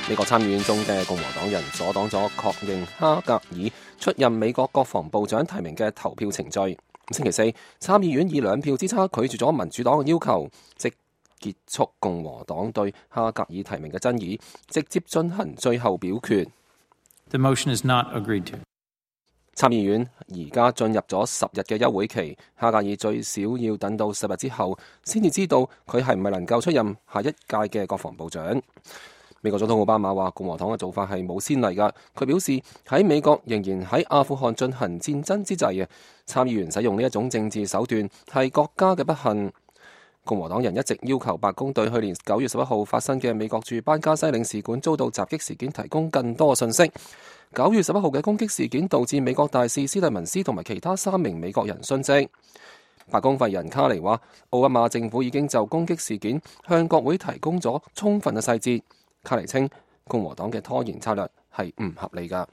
美國參議院中嘅共和黨人阻擋咗確認哈格爾出任美國國防部長提名嘅投票程序。星期四，參議院以2票之差拒絕咗民主黨嘅要求，即結束共和黨對哈格爾提名嘅爭議，直接進行最後表決。The motion is not agreed to. 參議院而家進入咗10日嘅休會期，哈格爾最少要等到10日之後，先至知道佢係唔係能夠出任下一屆嘅國防部長。美國總統奧巴馬話共和黨嘅做法係冇先例㗎。佢表示喺美國仍然喺阿富汗進行戰爭之際，參議員使用呢一種政治手段係國家嘅不幸。共和黨人一直要求白宮對去年9月11號發生嘅美國駐班加西領事館遭到襲擊事件提供更多信息。9月11號嘅攻擊事件導致美國大使斯蒂文斯同埋其他3名美國人殉職。白宮發言人卡尼話，奧巴馬政府已經就攻擊事件向國會提供咗充分嘅細節。卡尼稱，共和黨嘅拖延策略係唔合理㗎。